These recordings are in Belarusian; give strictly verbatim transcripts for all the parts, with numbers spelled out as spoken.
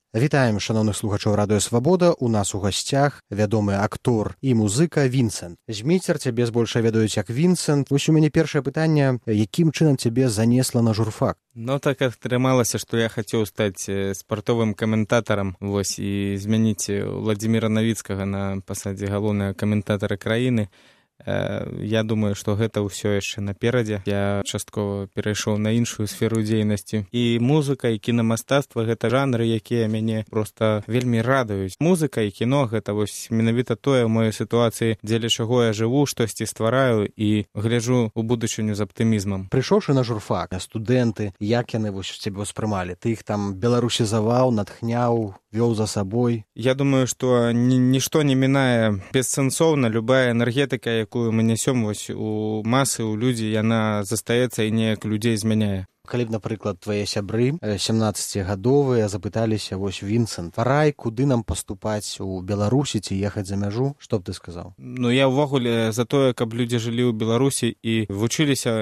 Вітаем шаноўных слухачоў радыё Свабода. У нас у гасцях вядомы актор і музыка Вінсент. Зміцер, цябе збольшага ведаюць як Вінсент. Вось у мяне першае пытанне, якім чынам цябе занесла на журфак? Ну, так атрымалася, што я хацеў стаць спартовым каментатарам, вось, і змяніць Владзіміра Навіцкага на пасадзе галоўнага каментатара краіны. Я думаю, што гэта ўсё яшчэ наперадзе. Я часткова перайшоў на іншую сферу дзейнасці. І музыка, і кінамастацтва — гэта жанры, якія мяне проста вельмі радуюць. Музыка і кіно — гэта вось менавіта тое ў маёй сітуацыі, дзеля чаго я жыву, штосьці ствараю і гляджу ў будучыню з аптымізмам. Прыйшоўшы на журфак, студэнты, як яны вось цябе ўспрымалі? Ты іх там беларусізаваў, натхняў, вёў за сабой? Я думаю, што нішто не мінае бессэнсоўна. Любая энергетыка, якую мы нясём вось у масы, у людзі, яна застаецца і неяк людзей змяняе. Калі б, напрыклад, твае сябры семнаццацігадовыя запыталіся: вось, Вінсент, парай, куды нам паступаць у Беларусі ці ехаць за мяжу, што б ты сказаў? Ну, я ўвогуле за тое, каб людзі жылі ў Беларусі і вучыліся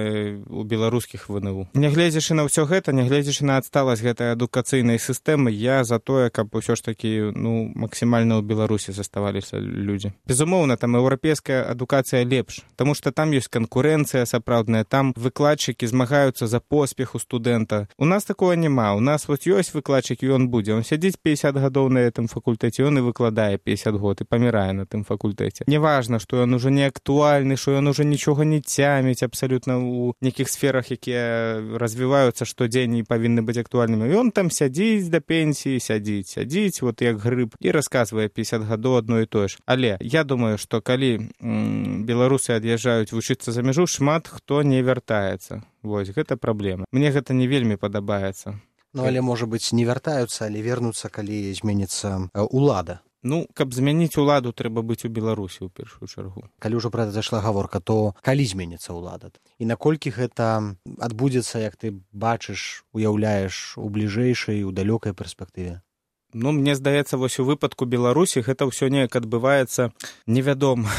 ў беларускіх вэ эн у. Нягледзячы на ўсё гэта, нягледзячы на адсталасць гэтай адукацыйнай сістэмы, я за тое, каб усё ж такі, ну, максімальна ў Беларусі заставаліся людзі. Безумоўна, там еўрапейская адукацыя лепш, таму што там ёсць канкурэнцыя сапраўдная, там выкладчыкі змагаюцца за поспех у студэнта. У нас такого няма. У нас вот ёсць выкладчык, і ён будзе. Он сядзіць пяцьдзясят гадоў на гэтым факультэце, ён і выкладае пяцьдзясят год, і памірае на тым факультэце. Неважна, што ён ужо не актуальны, што ён ужо нічога не цяміць абсалютна ў нейкіх сферах, якія развіваюцца штодзень і павінны быць актуальнымі. Ён там сядзіць да пенсіі, сядзіць, сядзіць, вот як грыб, і расказвае пяцьдзясят гадоў адно і тое ж. Але я думаю, што калі м, беларусы ад'язджаюць вучыцца за мяжу, шмат хто не вяртаецца. Вось, гэта праблема. Мне гэта не вельмі падабаецца. Ну, але, можа быць, не вяртаюцца, але вернуцца, калі зменіцца улада. Ну, каб змяніць уладу, трэба быць у Беларусі ў першую чаргу. Калі ўжо пра гэта зайшла гаворка, то калі зменіцца ўлада? І наколькі гэта адбудзецца, як ты бачыш, уяўляеш, у бліжэйшай, у далёкай перспектыве? Ну, мне здаецца, вось у выпадку Беларусі гэта ўсё неяк адбываецца невядома.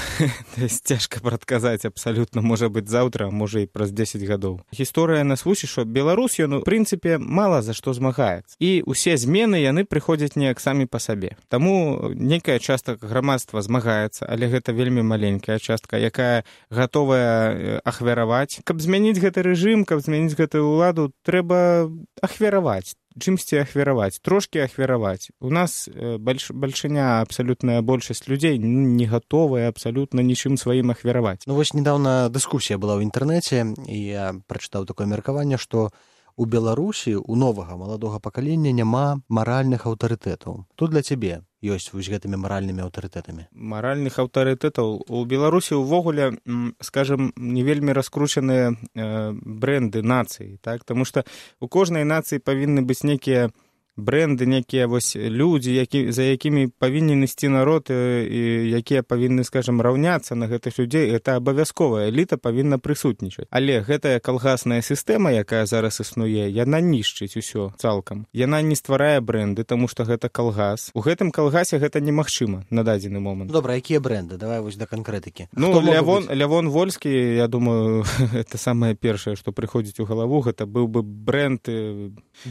Цяжка прадказаць абсалютна, можа быць заўтра, можа і праз дзесяць гадоў. Гісторыя нас вучыць, што Беларусь, ён, у прынцыпе, мала за што змагаецца. І ўсе змены, яны прыходзяць неяк самі па сабе. Таму нейкая частка грамадства змагаецца, але гэта вельмі маленькая частка, якая гатовая ахвяраваць. Каб змяніць гэты рэжым, каб змяніць гэтую ўладу, трэба ахвяраваць. Чымсьці ахвяраваць, трошкі ахвяраваць. У нас больш, бальшыня, абсалютная большасць людзей не гатовая абсалютна нічым сваім ахвяраваць. Ну вось недаўна дыскусія была ў інтэрнэце, і я прачытаў такое меркаванне, што у Беларусі у новага маладога пакалення няма маральных аўтарытэтаў. Тут для цябе ёсць вось гэтымі маральнымі аўтарытэтамі? Маральных аўтарытэтаў у Беларусі ўвогуле, скажем, не вельмі раскручаныя э, брэнды нацыі, так? Таму што у кожнай нацыі павінны быць нейкія брэнды, некія вось людзі, які, за якімі павінен ісці народ, і якія павінны, скажем, раўняцца на гэтых людзей. Гэта абавязковая эліта павінна прысутнічаць. Але гэтая калгасная сістэма, якая зараз існуе, яна нішчыць усё цалкам. Яна не стварае брэнды, таму што гэта калгас. У гэтым калгасе гэта немагчыма на дадзены момант. Добра, якія брэнды? Давай вось да канкрэтыкі. Ну, Лявон, Лявон Вольскі, я думаю, это самае першае, што прыходзіць у галаву, гэта быў бы брэнд,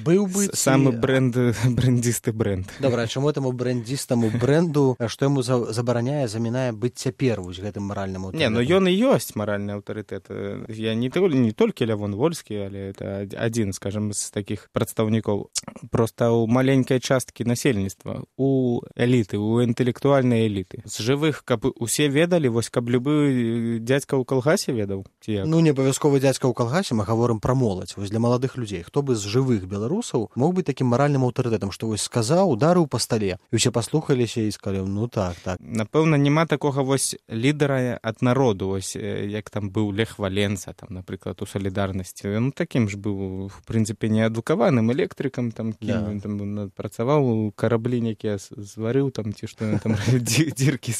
быў бы самы брэнд, брэндзісты брэнд. Добра, а чаму этаму брэндзістаму брэнду, што яму забараняе, замінае быць цяпер вось гэтым маральным аўтарытэтам? Не, ну ён і ёсць маральны аўтарытэт. Я не, не толькі Лявон Вольскі, але это адзін, скажем, з такіх прадстаўнікоў. Проста ў маленькай часткі насельніцтва, у эліты, у інтэлектуальнай эліты. З жывых, каб усе ведалі, вось каб любы дзядзька ў калгасе ведаў? Ці як? Ну, не абавязкова дзядзька ў калгасе, мы гаворым пра моладзь. Вось для маладых людзей. Хто бы з жывых беларусаў мог быць такім маральным аўтарытэтам, што вось сказаў, ударыў па стале, і ўсе паслухаліся і сказалі: ну так, так. Напэўна, няма такога вось лідара ад народу, вось як там быў Лех Валенса, там, напрыклад, у Салідарнасці. Ён такім ж быў, в прынцыпе, неадукаваным электрыкам, там, кім ён там працаваў, караблі нейкія зварыў, там, ці што ён там дзіркі.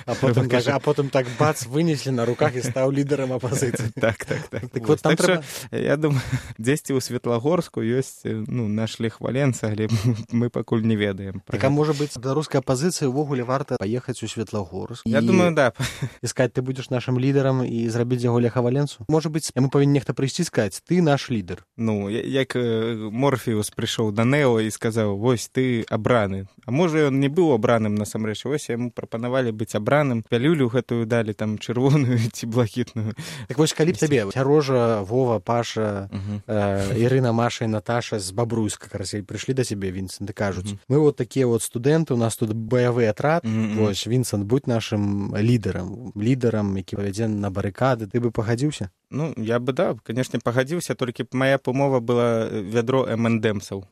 А потым, так, а потым так бац, вынеслі на руках і стаў лідарам апазіцыі. Так, так, так. Так вот там трэба... Я думаю, дзесьці ў Светлагорску ёсць, ну, наш Лех Валенса, адбудзецца, але мы пакуль не ведаем. Так, а можа быць, беларускай апазіцыі ўвогуле варта паехаць у Светлагорск? Я думаю, да. Искать, ты будешь нашим лидером и зрабіць яго Леха Валенсу? Может быть, яму павінен нехта прыйсці і сказаць, ты наш лидер. Ну, як Морфеус прыйшоў да Нео і сказаў, вось ты абраны. А можа, ён не быў абраным насамрэч, вось яму прапанавалі быць абраным, пялюлю гэтую далі, там, чырвоную ці блакітную. Так вось, калі б табе Сярожа, Вова, Паша, угу. э, Ірына, Маша і Наташа з Бабруйска, карацей, прыйшлі да цябе, Вінсент, і кажуць, угу. мы вот такія вот студэнты, у нас тут баявы атрад, угу. вось, Вінсент, будь нашим лідарам, лідарам, які павядзе на барыкады, ты бы пагадзіўся? Ну, я бы, да, конечно, пагадзіўся, толькі моя умова была вядро эм энд эмсаў.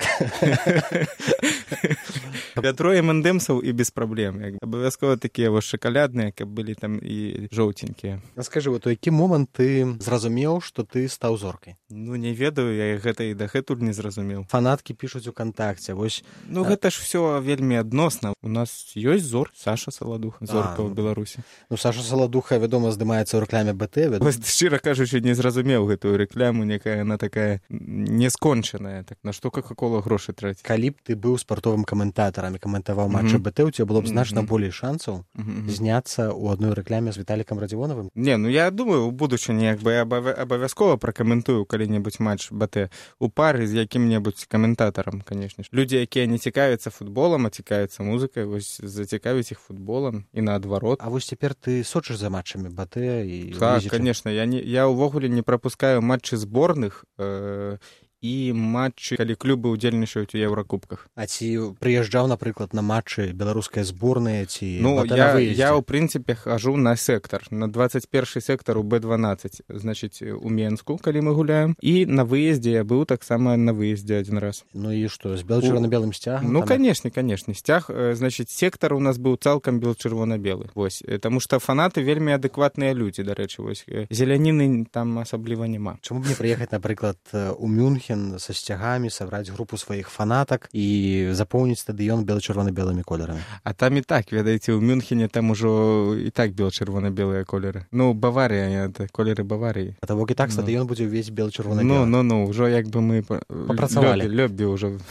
Вядро эм энд эмсаў і без праблем. Абавязкова такія вось шакалядныя, каб былі там і жоўценькія. Скажы, вот у які момант ты зразумеў, што ты стаў зоркай? Ну, не ведаю, я гэта і дагэтуль не зразумеў. Фанаткі пішуць у кантакце, вось... Ну, гэта ж всё вельмі адносна. У нас ёсць зор, Саша Саладуха, зорка ў Беларусі. Ну, Саша Саладуха, вядома, здымаецца ў рэкламе бэ тэ. Вось, шчыра кажучы, не зразумеў гэтую рэкляму, некая она такая нескончаная. Так на што Кока-кола грошы траціць? Калі б ты быў спартовым каментатарам і каментаваў матчы бэ тэ, у цябе было б значна болей шансаў зняцца ў адной рэкляме з Віталікам Радзівонавым? Не, ну я думаю, у будучыні як бы я абавязкова пракаментую калі-небудзь матч бэ тэ у пары з якім-небудзь каментатарам, канешне ж. Людзі, якія не цікавяцца футболам, а цікавяцца музыкай, вось зацікавіць іх футболам і наадварот. А вось цяпер ты сочыш за матчамі бэ тэ і так, конечно, я не я ўвогуле не прапускаю матчы зборных э, і матчы, калі клубы ўдзельнічаюць у еўракубках. А ці прыязджаў, напрыклад, на матчы беларускай зборнай ці ну, я, я ў прынцыпе хожу на сектар, на двадцать першы сектар у бэ дванаццаць, значыць, у Менску, калі мы гуляем, і на выездзе я быў таксама на выездзе адзін раз. Ну і што, з бел-чырвона-белым сцягам? Ну, канешне, канешне. Сцяг, значыць, сектар у нас быў цалкам бел-чырвона-белы. Вось, таму што фанаты вельмі адэкватныя людзі, дарэчы, вось. Зеляніны там асабліва няма. Чаму б не прыехаць, напрыклад, у Мюнхен со сцягамі, сабраць групу сваіх фанатак і запоўніць стадыён бел-чырвона-белымі колерамі. А там і так, ведаеце, у Мюнхене там ужо і так бел-чырвона-белыя колеры. Ну, Баварія, это колеры Баварыі. А того і так стадыён ну. будзе ўвесь бел-чырвона-белы. Ну, ну, ну, ўжо як бы мы папрацавалі. Лёбі ўжо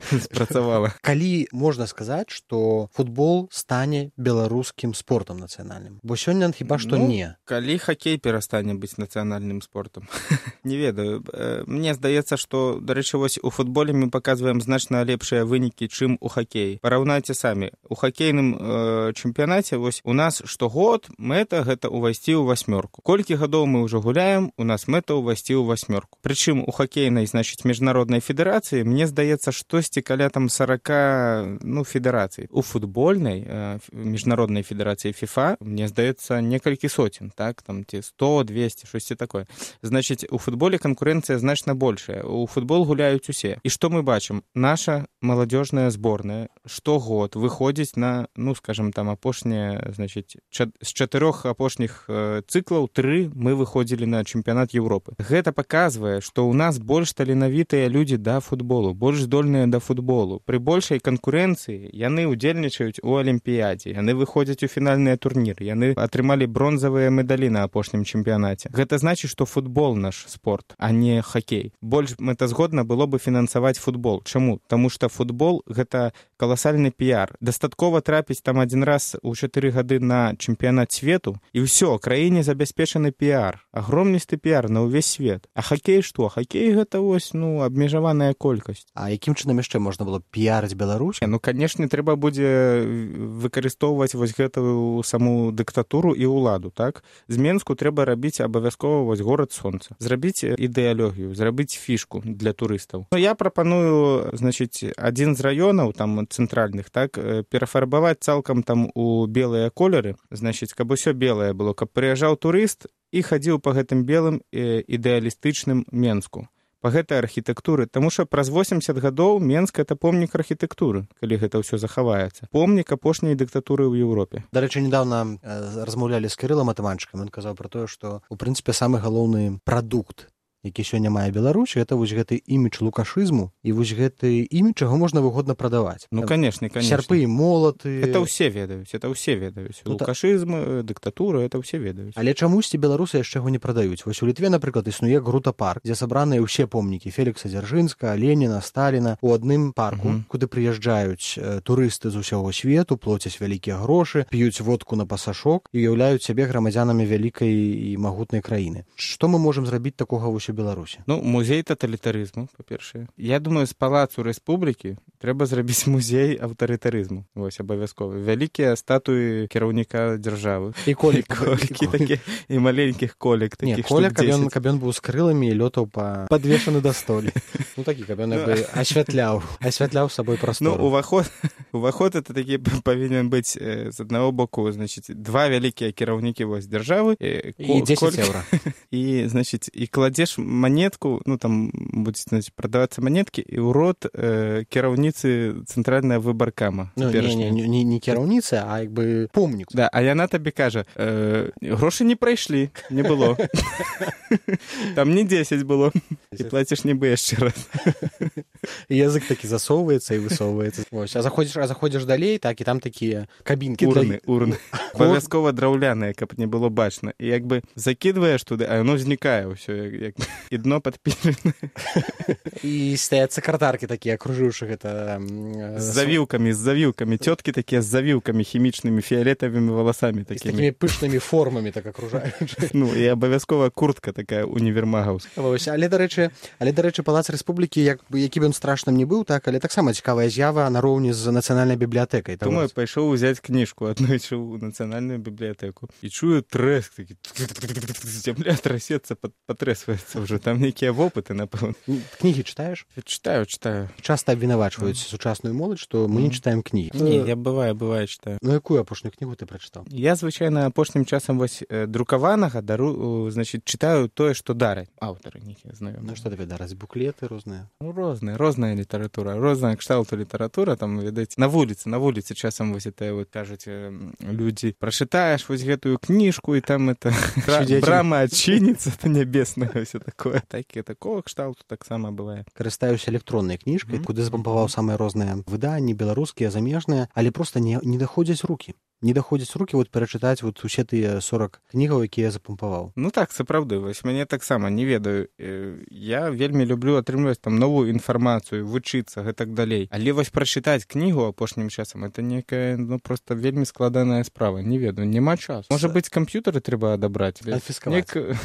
спрацавала. Калі можна сказаць, што футбол стане беларускім спортам нацыянальным? Бо сёння хіба што ну, не. Калі хакей перастане быць нацыянальным спортам? Не ведаю. Мне здаецца, што, дарэчы, вось у футболе мы паказваем значна лепшыя вынікі, чым у хакеі. Параўнайце самі. У хакейным э, чэмпіянаце вось у нас штогод мэта гэта ўвайсці ў васьмёрку. Колькі гадоў мы ўжо гуляем, у нас мэта ўвайсці ў васьмёрку. Прычым у хакейнай, значыць, міжнароднай федэрацыі, мне здаецца, штосьці каля там сорока, ну, федэрацый. У футбольнай э, міжнароднай федэрацыі FIFA, мне здаецца, некалькі соцень, так, там ці сто, двести, штосьці такое. Значыць, у футболе канкурэнцыя значна больш. У футбол гуляюць усе. І што мы бачым? Наша маладзёжная зборная штогод выходзіць на, ну, скажем, там апошнія, значыць, ча- з чатырох апошніх э, цыклаў тры мы выходзілі на чэмпіянат Еўропы. Гэта паказвае, што ў нас больш таленавітыя людзі да футболу, больш здольныя да футболу. Пры большай канкурэнцыі яны ўдзельнічаюць у алімпіядзе, яны выходзяць у фінальныя турніры, яны атрымалі бронзавыя медалі на апошнім чэмпіянаце. Гэта значыць, што футбол наш спорт, а не хакей. Больш мэтазгодна было бы фінансаваць футбол. Чаму? Таму што футбол — гэта каласальны піяр. Дастаткова трапіць там адзін раз у чатыры гады на чэмпіянат свету, і ўсё, краіне забяспечаны піяр. Агромністы піяр на ўвесь свет. А хакей што? Хакей — гэта вось, ну, абмежаваная колькасць. А якім чынам яшчэ можна было піярыць Беларусь? Ну, канешне, трэба будзе выкарыстоўваць вось гэтую саму дыктатуру і ўладу, так? З Менску трэба рабіць абавязкова вось горад сонца. Зрабіць ідэалогію, зрабіць фішку для турыстаў. Ну, я прапаную, значыць, адзін з раёнаў, там, цэнтральных, так, перафарбаваць цалкам там у белыя колеры, значыць, каб усё белае было, каб прыязджаў турыст і хадзіў па гэтым белым ідэалістычным Менску, па гэтай архітэктуры, таму што праз восемьдесят гадоў Менск — это помнік архітэктуры, калі гэта ўсё захаваецца. Помнік апошняй дыктатуры ў Еўропе. Дарэчы, недавно размаўлялі з Кірылам Атаманчыкам, ён казаў пра тое, што, у прынцыпе, самы галоўны прадукт які сёння мае Беларусь, гэта вось гэты імідж лукашызму і вось гэты імідж, чаго можна выгодна прадаваць. Ну, конечно, конечно. Сярпы і молаты. Это ўсе ведаюць, это ўсе ведаюць. Ну, лукашызм, дыктатура, это ўсе ведаюць. Але чамусьці беларусы яшчэ яго не прадаюць. Вось у Літве, напрыклад, існуе Грута-парк, дзе сабраныя ўсе помнікі Фелікса Дзяржынскага, Леніна, Сталіна у адным парку, uh-huh. куды прыязджаюць э, турысты з усяго свету, плоцяць вялікія грошы, п'юць водку на пасашок і уяўляюць сябе грамадзянамі вялікай і магутнай краіны. Што мы можам зрабіць такога вось у Беларусі? Ну, музей таталітарызму, па-першае. Я думаю, з палацу рэспублікі трэба зрабіць музей аўтарытарызму. Вось, абавязкова. Вялікія статуі кіраўніка дзяржавы. І колік. Колікі такі, і маленькіх колік. Не, коля, каб ён, каб ён быў з крыламі і лётаў па падвешаны да столі. Ну, такі, каб ён бы асвятляў, асвятляў сабой прастору. Ну, уваход, уваход это такі павінен быць э, з аднаго боку, значит, два вялікія кіраўнікі вось дзяржавы. Э, і дзесяць еўра. І, значит, і кладзеш манетку, ну, там будзе, значит, прадавацца манеткі, і ў рот э, кіраўніцы цэнтральная выбаркама. Ну, не, не, не, не кіраўніца, а як бы помнік. Да, а яна табе кажа, э, грошы не прайшлі, не было. Там не дзесяць было. І плаціш нібы яшчэ раз. І язык такі засоўваецца і высоўваецца. Ось, а заходзіш, а заходзіш далей, так, і там такія кабінкі. Урны, для... урны. Абавязкова драўляныя, каб не было бачна. І як бы закідваеш туды, а яно знікае ўсё, як, як... і дно падпіленае. І стаяць сакратаркі такія, акружыўшы гэта... З завіўкамі, з завіўкамі. Цёткі такія з завіўкамі хімічнымі, фіолетавымі валасамі. Такімі. З такімі пышнымі формамі так акружаючы. Ну, і абавязкова куртка такая універмагаўская. Вось, але, дарэчы, але, дарэчы, Палац Рэспублікі, як, які б ён страшным не быў, так, але таксама цікавая з'ява нароўні з нацыянальнай бібліятэкай. Думаю, пайшоў узяць кніжку, аднойчы ў нацыянальную бібліятэку. І чую трэск, такі... Зямля трасецца, патрэсваецца ўжо. Там нейкія вопыты, напэўна. Кнігі чытаеш? Чытаю, чытаю. Часта абвінавачваюць mm. сучасную моладзь, што мы mm. не чытаем кнігі. Не, я бывае, бывае чытаю. Ну, якую апошнюю кнігу ты прачытаў? Я, звычайна, апошнім часам вось друкаванага дару, значит, чытаю тое, што дараць аўтары нейкія знаёмыя. Ну, што табе дараць? Буклеты розныя? Ну, розныя, розная літаратура, розная кшталту літаратура, там, ведаць, на вуліцы, на вуліцы часам вось это, вот, кажуць, людзі, прачытаеш вось гэтую кніжку, і там это брама адчыніцца, это нябесная, ўсё такое. Такі, такого кшталту таксама бывае. Карыстаюся электроннай кніжкай, mm-hmm. куды запампаваў самыя розныя выданні, беларускія, замежныя, але проста не, не даходзяць рукі. Не даходзяць рукі вот перачытаць вот усе тыя сорок кнігаў, якія я запампаваў. Ну так, сапраўды, вось мяне таксама не ведаю. Я вельмі люблю атрымліваць там новую інфармацыю, вучыцца, гэтак далей. Але вось прачытаць кнігу апошнім часам, это некая, ну, просто вельмі складаная справа. Не ведаю, няма часу. Можа быць, камп'ютары трэба адабраць. Канфіскаваць. Нек...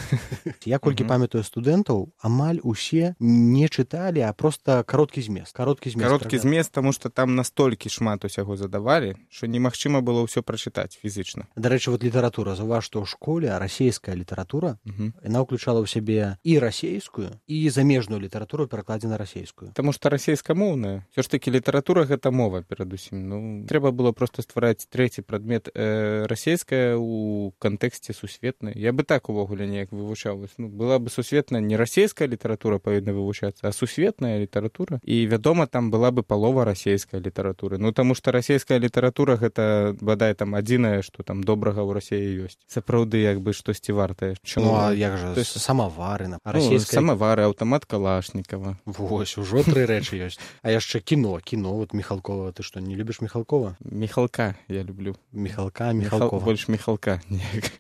Я колькі памятаю студэнтаў, амаль усе не чыталі, а проста кароткі змест. Кароткі змест, кароткі змест, таму што там настолькі шмат усяго задавалі, што немагчыма было ўсё прачытаць фізічна. Дарэчы, вот літаратура. Заўваж, што ў школе расійская літаратура, uh-huh. яна ўключала ў сябе і расейскую, і замежную літаратуру перакладзена расейскую. Таму што расейскамоўная. Всё ж такі літаратура гэта мова перадусім. Ну, трэба было проста ствараць трэці прадмет э, расейская ў кантэксце сусветнай. Я бы так увогуле неяк вывучаў. Ну, была бы сусветная, не расейская літаратура павінна вывучацца, а сусветная літаратура. І, вядома, там была бы палова расейскай літаратуры. Ну, таму што расейская літаратура гэта, бадай, там адзінае, што там добрага ў Расіі ёсць. Сапраўды, як бы штосьці вартае. Ну, а як жа, есть... самавары, на расійскай... Ну, самавары, аўтамат Калашнікава. Вось, ужо тры рэчы ёсць. А яшчэ кіно, кіно, вот Міхалкова. Ты што, не любіш Міхалкова? Міхалка я люблю. Міхалка, Міхалкова. Міхал... Больш Міхалка.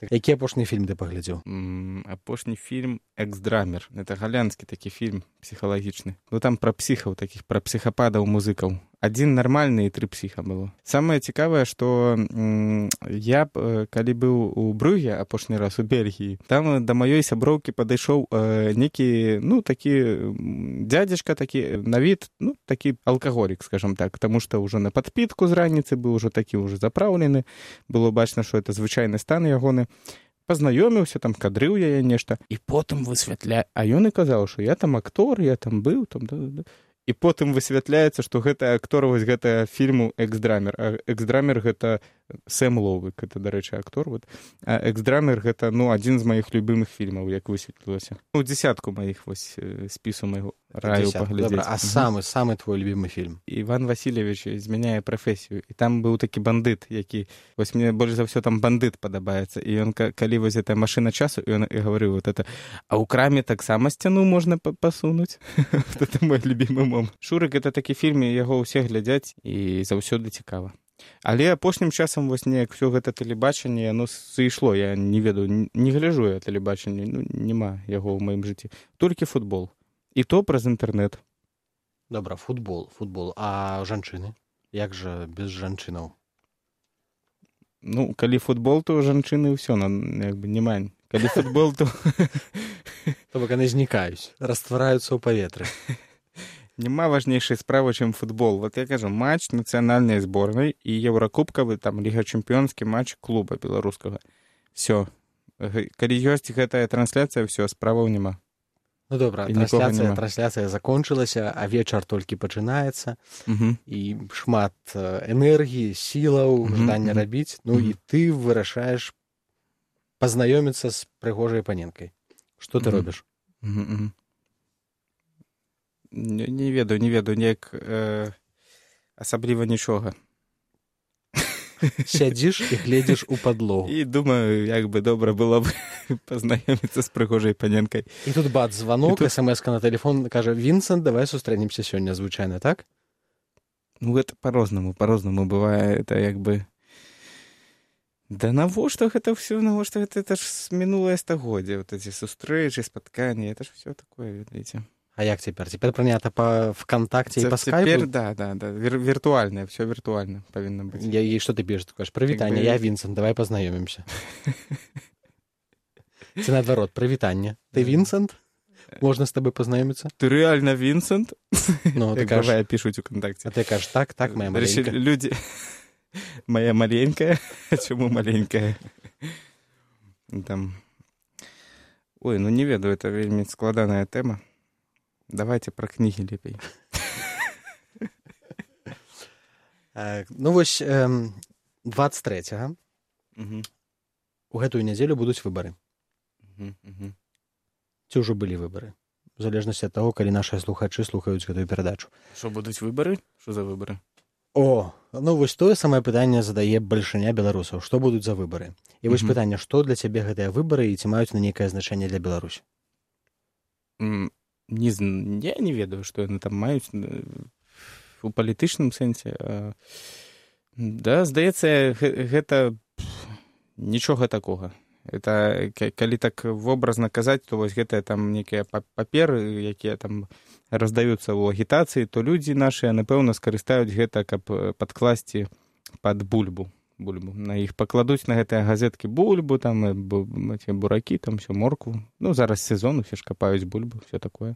Які апошні фільм ты паглядзеў? М, апошні фільм «Эксдрамер». Это галянскі такі фільм псіхалагічны. Ну, там пра псіхаў такіх, пра псіхападаў музыкаў. Адзін нармальны і тры псіха было. Самае цікавае, што м, я, калі быў у Брюге апошні раз у Бельгіі, там да маёй сяброўкі падышоў э, некі, ну, такі дзядзечка, такі на від, ну, такі алкаголік, скажам так, таму што ўжо на падпітку з раніцы быў ужо такі ўжо запраўлены, было бачна, што это звычайны стан ягоны. Пазнаёміўся, там кадрыў яе нешта, і потым высвятля... А ён і казаў, што я там актор, я там быў, там, да, да. І потым высвятляецца, што гэта актор вось гэтага фільму «Эксдрамер». А «Эксдрамер» гэта Сэм Ловык, это, дарэчы, актор. Вот. А «Эксдрамер» — гэта, ну, адзін з маіх любімых фільмаў, як высветлілася. Ну, дзесятку маіх вось спісу майго раю паглядзець. Добра, а самы, самы твой любімы фільм? Іван Васильевич змяняе прафесію. І там быў такі бандыт, які... Вось мне больш за ўсё там бандыт падабаецца. І ён, калі вось гэта машына часу, і ён і гаварыў вот это, а ў краме таксама сцяну можна пасунуць. Это мой любімы момант. «Шурык» — это такі фільм, яго ўсе глядзяць, і заўсёды цікава. Але апошнім часам вось неяк усё гэта тэлебачанне, яно сышло. Я не ведаю, не гляджу я тэлебачанне, ну, няма яго ў маім жыцці. Толькі футбол. І то праз інтэрнэт. Добра, футбол, футбол. А жанчыны? Як жа без жанчынаў? Ну, калі футбол, то жанчыны ўсё, як бы, няма. Калі футбол, то... То бок яны знікаюць, раствараюцца ў паветры. Няма важнейшай справы, чым футбол. Вот я кажу, матч нацыянальнай зборнай і еўракубкавы, там, ліга чэмпіёнскі матч клуба беларускага. Всё. Калі ёсць гэтая трансляцыя, всё, справаў няма. Ну, добра, трансляцыя, трансляцыя закончылася, а вечар толькі пачынаецца, угу. І шмат энергіі, сілаў, угу, жадання угу. рабіць, ну, угу. І ты вырашаеш пазнаёміцца з прыгожай паненкай. Што ты угу. робіш? Угу, угу. Не, не ведаю, не ведаю, неяк э, асабліва нічога. Сядзіш і гледзіш у падлогу. І думаю, як бы добра было б пазнаёміцца з прыгожай паненкай. І тут бац, званок, тут... смс-ка на тэлефон, кажа, Вінсент, давай сустрэнемся сёння, звычайна, так? Ну, гэта па-рознаму, па-рознаму бывае, это як бы... Да навошта гэта ўсё, навошта гэта, это ж мінулае стагоддзе, вот эти сустрэчы, спатканні, это ж ўсё такое, ведаеце. А як цяпер? Цяпер прынята па ВКонтакце і па скайпу? Цяпер, да, да, да, Вір, віртуальна, ўсё віртуальна павінна быць. Я, і што ты пішаш? Ты кажаш, прывітанне, я Вінсент, давай пазнаёмімся. Ці наадварот, прывітанне. Ты Вінсент? Можна з табой пазнаёміцца? Ты рэальна Вінсент? Ну, ты кажаш... Як пішуць у Контакце. А ты кажаш, так, так, моя маленькая. Людзі... Моя маленькая? Чаму маленькая? Там... Ой, ну не ведаю, это вельмі складаная тэма. Давайте пра кнігі лепей. Ну вось дваццаць трэцяга у гэтую нядзелю будуць выбары. Ці ўжо былі выбары? У залежнасці ад таго, калі нашыя слухачы слухаюць гэтую перадачу. Што будуць выбары? Што за выбары? О, ну вось тое самае пытанне задае бальшыня беларусаў. Што будуць за выбары? І вось пытанне, што для цябе гэтыя выбары і ці маюць на нейкае значэнне для Беларусі? Не, я не ведаю, што яны там маюць у палітычным сэнсе. Да, здаецца, гэта нічога такога. Это, калі так вобразна казаць, то вось гэтыя там нейкія паперы, якія там раздаюцца ў агітацыі, то людзі нашыя, напэўна, скарыстаюць гэта, каб падкласці пад бульбу. бульбу. На іх пакладуць на гэтыя газеткі бульбу, там, буракі, там, всё, моркву. Ну, зараз сезон, усе ж капаюць бульбу, все такое.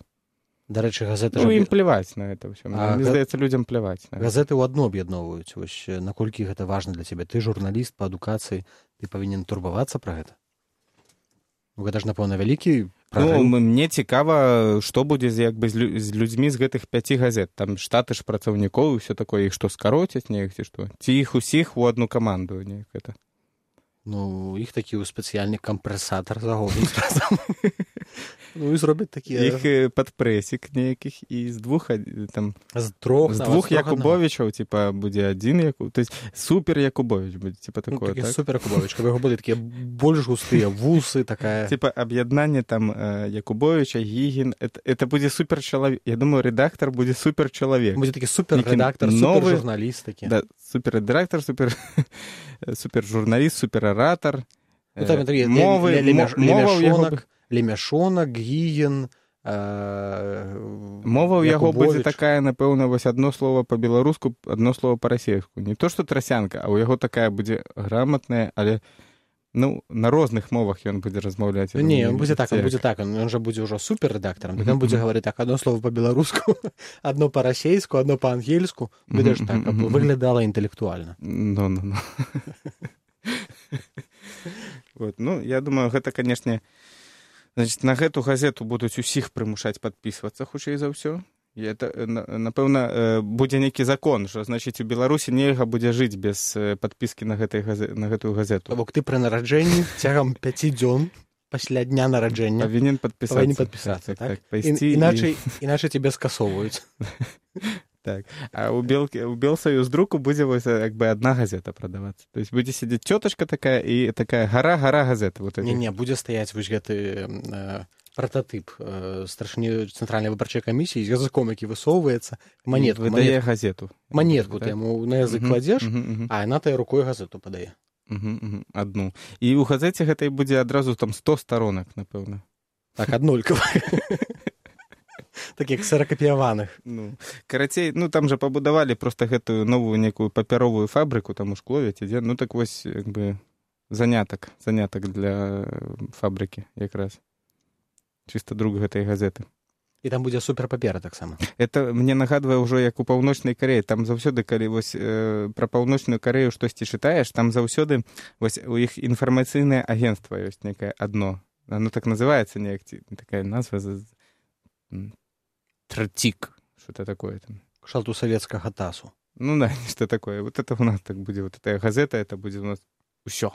Дарэчы, газеты... Ну, ім пляваць на гэта ўсё. А, Мне здаецца, людзям пляваць. Газеты ў адно аб'ядноўваюць. Вось, наколькі гэта важна для цябе? Ты журналіст па адукацыі, ты павінен турбавацца пра гэта? Ну, гэта ж, напэўна, вялікі... Ну, мне цікава, што будзе як бы, з людзьмі з гэтых пяці газет. Там штаты ж працаўнікоў і ўсё такое, іх што скароцяць, неяк ці што? Ці іх усіх у адну каманду неяк гэта? Ну, іх такі спецыяльны кампрэсатар загонуць разам. Ну, і зробяць такія... Іх падпрэсік нейкіх, і з двух, там... З трох, з двух Якубовічаў, типа, будзе адзін Якуб... То есть, супер Якубовіч будзе, типа, такое, ну, так? Супер Якубовіч, каб яго былі такія больш густыя вусы, такая... Типа, аб'яднанне, там, Якубовіча, Гігін, это, это будзе супер чалавек. Я думаю, редактор будзе супер чалавек. Будзе такі супер редактор, супер журналіст такі. Да, супер редактор, супер... супер журналіст, супер оратор. Ну, там такі мовы, лемяшонак, лемяшонак, Гігін, мова ў яго будзе такая, напэўна, вось адно слово па-беларуску, адно слово па-расейску. Не то, што трасянка, а ў яго такая будзе грамотная, але ну, на розных мовах ён будзе размаўляць. Не, он будзе так, он будзе так, он жа будзе ўжо суперредактарам, так он будзе гаварыць так, адно слово па-беларуску, адно па-расейску, адно па-ангельску, будзе ж так, каб выглядала інтэлектуальна. Ну, ну, ну. Вот, ну, я думаю, гэта, канешне, значит, на гэту газету будуць усіх прымушаць падпісвацца, хутчэй за ўсё. Это, напэўна, будзе нейкі закон, што, значыць, у Беларусі нельга будзе жыць без падпіскі на, газет, на гэтую газету. Бок ты пры нараджэнні цягам пяці дзён пасля дня нараджэння павінен падпісацца. Павінен падпісацца, так? так, так. І, іначай, і... іначай тебе скасоўваюць. Так. А у, Белки, у Белсоюздруку будзе вось, як бы адна газета прадавацца. То есть будзе сядзець цётачка такая і такая гара-гара газета. Вот Не-не, будзе стаяць вось гэты... Э... прототип э, старшыні цэнтральнай выбарчай камісіі з языком, які высоўваецца, манетку, выдае манетку, газету. Манетку ты яму на язык кладзеш, uh -huh, uh -huh. а яна тая рукой газету падае. Uh -huh, uh -huh. Адну. І ў газеце гэтай будзе адразу там сто сторонак, напэўна. Так, аднолькава. Такіх ксеракапіяваных. Ну, карацей, ну там жа пабудавалі проста гэтую новую некую папяровую фабрыку, там у Шклове ці дзе, ну так вось, як бы, занятак, занятак для фабрыкі якраз. Чыста друг гэтай газеты. І там будзе суперпапера таксама. Это мне нагадвае ўжо як у Паўночнай Карэі. Там заўсёды, калі вось э, пра Паўночную Карэю штосьці чытаеш, там заўсёды вось у іх інфармацыйнае агенцтва ёсць некае адно. Оно так называецца неяк, такая назва Трцік, что-то такое там. Кшталту савецкага тасу. Ну да, нешта такое. Вот это у нас так будзе, вот эта газета, это будзе у нас усё.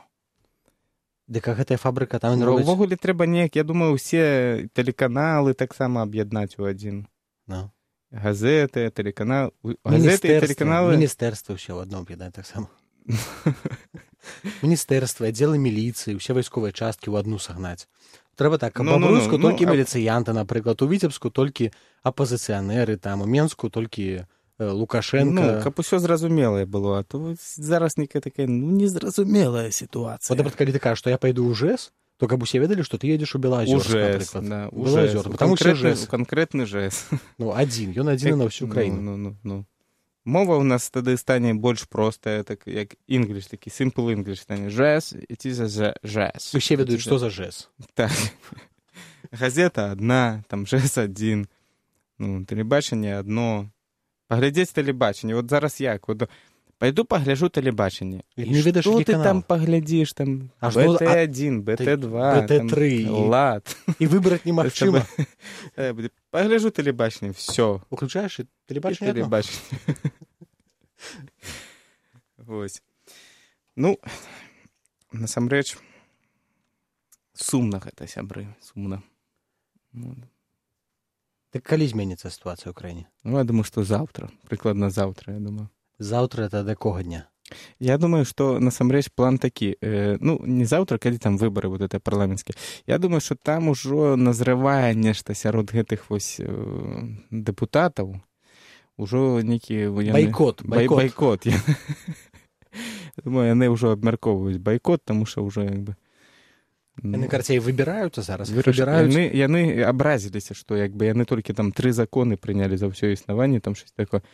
Дык а гэтая фабрыка там робіць... Увогуле трэба неяк, я думаю, усе тэлеканалы таксама аб'яднаць у адзін. No. Газеты, тэлеканалы... Газеты і тэлеканалы... Міністэрства ўсе ў адно аб'яднаць таксама. Міністэрства, аддзелы міліцыі, усе вайсковыя часткі ў адну сагнаць. Трэба так, каб ну, у Бруску ну, ну, толькі ну, міліцыянты, напрыклад, у Віцебску толькі апазіцыянеры, там, у Менску толькі Лукашенко. Ну, каб усё зразумелае было, а то зараз некая такая, ну, незразумелая сітуацыя. Вот, калі ты кажаш, што я пайду ў ЖЭС, то каб усе ведалі, што ты едзеш у Белаазёрск, напрыклад. Да, у ЖЭС, у канкрэтны, канкрэтны ЖЭС. Ну, адзін, ён адзін на ўсю краіну. Ну, ну, ну. Мова ў нас тады стане больш простая, так як English, такі simple English стане. ЖЭС, it is a ЖЭС. Усе ведаюць, што за ЖЭС. Так. Газета адна, там ЖЭС адзін, ну, тэлебачанне адно. Паглядзець тэлебачанне. Вот зараз як? Вот, пайду пагляджу тэлебачанне. І што ты там паглядзіш? Там бэ тэ адзін, бэ тэ два, бэ тэ тры, лад. І выбраць немагчыма. Пагляджу тэлебачанне, всё. Уключаеш тэлебачанне адно? Тэлебачанне. Вось. Ну, насамрэч, сумна гэта, сябры, сумна. Так калі зменіцца сітуацыя ў краіне? Ну, я думаю, што заўтра. Прыкладна заўтра, я думаю. Заўтра это да якога дня? Я думаю, што насамрэч план такі. Э, ну, не заўтра, калі там выбары вот это парламенцкія. Я думаю, што там ужо назрывае нешта сярод гэтых вось э, дэпутатаў. Ужо нейкі... Байкот. Бай, байкот. Я думаю, яны ўжо абмяркоўваюць байкот, таму што ўжо як бы... Яны, карцей, выбіраюцца зараз? Выбіраюць. Яны, яны абразіліся, што як бы яны толькі там тры законы прынялі за ўсё існаванне, там шось такое.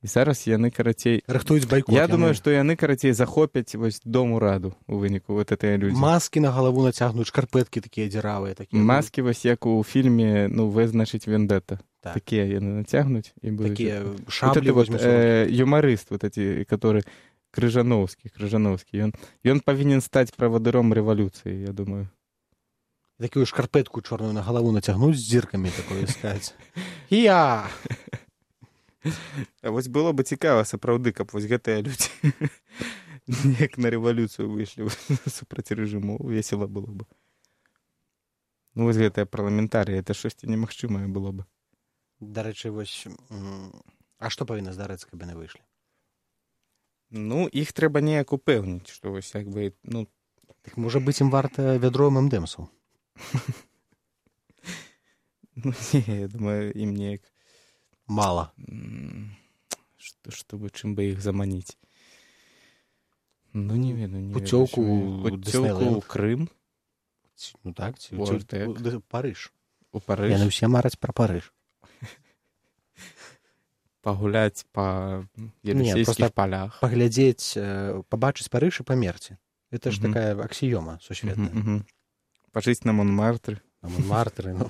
І зараз яны, карацей... Рыхтуюць байкот. Я яны... думаю, што яны, карацей, захопяць вось дом ураду у выніку, вот гэтыя людзі. Маскі на галаву нацягнуць, шкарпэткі такія дзіравыя. Такія. Маскі вось як у фільме, ну, «В, значыць, вендетта». Так. Такія яны нацягнуць. І будуць... Такія шаблі вот возьмуць. Э, юмарыст, вот эти, который... Крыжановскі, Крыжановскі. Ён, ён павінен стаць правадыром рэвалюцыі, я думаю. Такую шкарпэтку чорную на галаву нацягнуць з дзіркамі такое сказаць. Я! А вось было бы цікава, сапраўды, каб вось гэтыя людзі неяк на рэвалюцыю выйшлі супраць рэжыму. Весела было бы. Ну, вось гэтыя парламентарыі, это шосьці немагчымае было бы. Дарэчы, вось... А што павінна здарыцца, каб яны выйшлі? Ну, іх трэба неяк упэўніць, што вось як бы, ну... Так, можа быць, ім варта вядро эм эм дэ эмсаў? Ну, не, я думаю, ім неяк... Мала. Што, чтобы, чым бы іх заманіць. Ну, не ведаю, не Пуцёўку ведаю. Пуцёўку ў Крым. Ну так, ці у Парыж. У Парыж. Яны ўсе мараць пра Парыж. Пагуляць па елісейскіх палях. Паглядзець, пабачыць Парыж і памерці. Это ж такая аксіёма сусветная. Пажыць на Монмартры. На Монмартры, ну.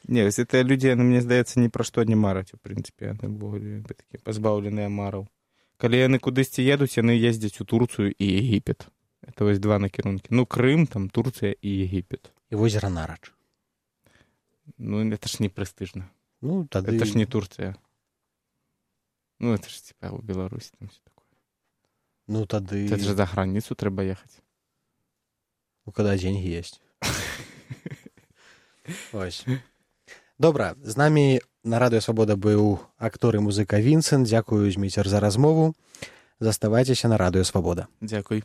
Не, вось гэтыя людзі, мне здаецца, ні пра што не мараць, у прынцыпе. Яны такія пазбаўленыя мараў. Калі яны кудысьці едуць, яны ездзяць у Турцыю і Егіпет. Это вось два накірункі. Ну, Крым, там, Турцыя і Егіпет. І возера Нарач. Ну, это ж не престижно. Ну, тады... Это ж не Турция. Ну, это ж, типа, у Беларуси там все такое. Ну, тады... Это же за границу треба ехать. Ну, когда деньги есть. Ось. Добра, з намі на Радыё Свабода быў актор і музыка Вінсент. Дзякую, Зміцер, за размову. Заставайцеся на Радыё Свабода. Дзякуй.